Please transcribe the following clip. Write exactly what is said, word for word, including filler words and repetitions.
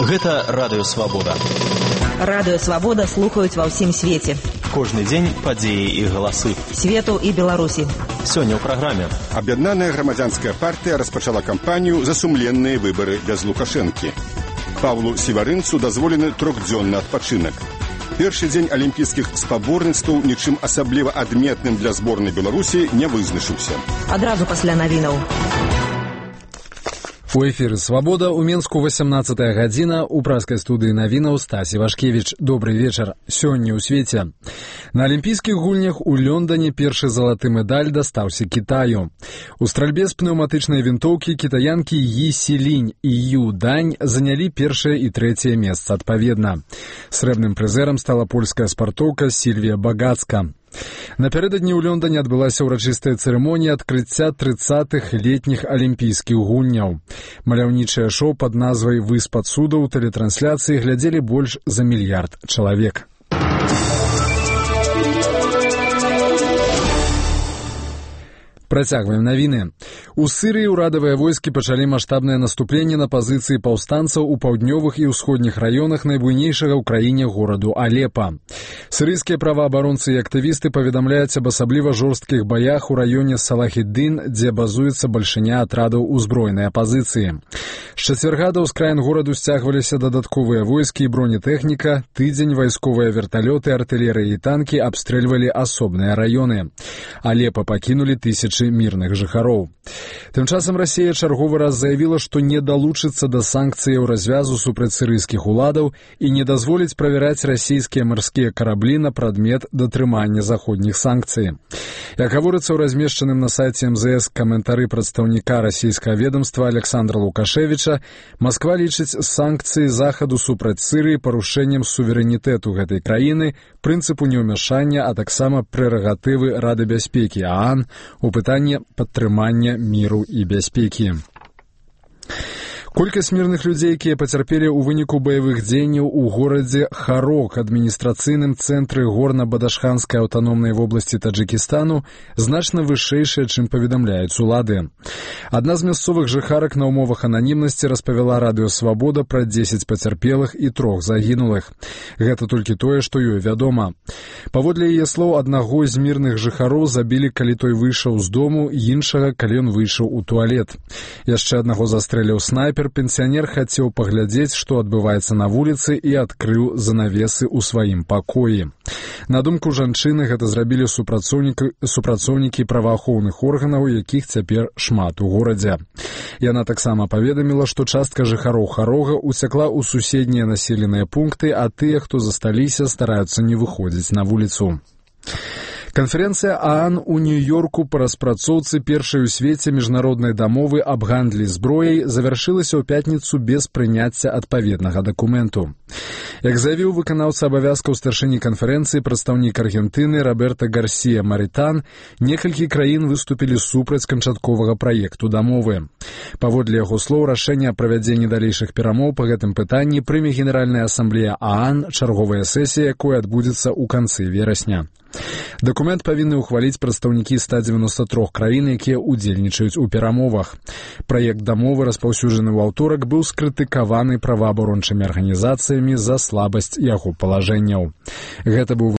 Гэта Радыё Свабода. Радыё Свабода слухаюць ва ўсім свеце. Кожны дзень падзеі і галасы. Свету і Беларусі. Сёння ў праграме. Аб'яднаная грамадзянская партыя распачала кампанію за сумленныя выбары без Лукашэнкі. Павлу Сіварынцу дазволены трохдзённы адпачынак. Першы дзень алімпійскіх спаборніцтваў нічым асабліва адметным для зборнай Беларусі не вызначыўся. Адразу пасля навінаў. У эфіры «Свабода» у Менску васямнаццатая гадзіна, у праскай студыі навінаў Стасі Вашкевіч. Добрый вечар. Сёння ў свеце. На алімпійскіх гульнях у Лондоне першы залаты медаль дастаўся Кітаю. У стральбе з пнеўматычнай вінтоўкі кітаянкі Йі Сілінь і Ю Дань занялі першае і трэцяе месца адпаведна. Срэбным прызэрам стала польская спартоўка Сільвія Багацка. Напярэдадні ў Лондоне адбылася ўрачыстая цырымонія адкрыцця трыццатых летніх алімпійскіх гульняў. Маляўнічае шоу пад назвай «Выспад цудаў» тэлетрансляцыі глядзелі больш за мільярд чалавек. Працягваем навіны. У Сырыі ўрадавыя войскі пачалі маштабнае наступленне на пазіцыі паўстанцаў у паўднёвых і ўсходніх раёнах найбуйнейшага ў краіне гораду Алепа. Сырыйскія праваабаронцы і актывісты паведамляюць аб асабліва жорсткіх баях у раёне Салахіддын, дзе базуецца бальшыня атрадаў узброенай апазіцыі. З чацвярга да ўскраін гораду сцягваліся дадатковыя войскі і бронетэхніка, тыдзень вайсковыя верталёты, артылерыя і танкі абстрэльвалі асобныя раёны. Алепа пакінулі тысячы мірных жыхароў. Тым часам Расія чарговы раз заявіла, што не далучыцца да санкцыяў развязу супраць сырыйскіх уладаў і не дазволіць правяраць расійскія марскія караблі на прадмет датрымання заходніх санкцый. Як гаворыцца ў размешчаным на сайце эм зэ эс каментары прадстаўніка расійскага ведомства Александра Лукашевіча, Масква лічыць санкцыі захаду супраць Сырыі парушэннем суверэнітэту гэтай краіны, прынцыпу неўмяшання, а таксама прэрагатывы Рады бяспекі ААН у пытанне падтрымання міру і бяспекі. Колькасць мірных людзей, якія пацярпелі ў выніку баявых дзеянняў у горадзе Харок, адміністрацыйным цэнтры горна-бадашханскай аўтаномнай вобласці Таджыкістану, значна вышэйшая, чым паведамляюць улады. Адна з мясцовых жыхарак на ўмовах ананімнасці распавяла Радыё Свабода пра дзесяць пацярпелых і трох загінулых. Гэта толькі тое, што ёй вядома. Паводле яе слоў, аднаго з мірных жыхароў забілі, калі той выйшаў з дому, іншага, калі ён выйшаў у туалет. Яшчэ аднаго застрэліў снайпер. Пенсіянер хацеў паглядзець, што адбываецца на вуліцы, і адкрыў занавесы ў сваім пакоі. На думку жанчыны, гэта зрабілі супрацоўнікі, супрацоўнікі праваахоўных органаў, якіх цяпер шмат у горадзе. Яна таксама паведаміла, што частка жыхароў Харога уцякла ў суседнія населеныя пункты, а тыя, хто засталіся, стараюцца не выходзіць на вуліцу. Канферэнцыя ААН у Нью-Йорку па распрацоўцы першай у свеце міжнароднай дамовы аб гандлі зброяй завяршылася ў пятніцу без прыняцця адпаведнага дакументу. Як заявіў выканаўца абавязкаў старшыні канферэнцыі прадстаўнік Аргентыны Роберта Гарсія Маритан, некалькі краін выступілі супраць канчатковага праекту дамовы. Паводле яго слоў, рашэнне аб правядзенні далейшых перамоў па гэтым пытанні прыме Генеральная асамблея ААН, чарговая сесія, якой адбудзецца ў канцы верасня. Дакумент павінны ўхваліць прадстаўнікі ста дзевяноста трох краін, якія ўдзельнічаюць у перамовах. Праект дамовы, распаўсюджаны ў аўторак, быў скрытыкаваны праваабарончымі арганізацыямі за слабасць яго палажэнняў. Гэта быў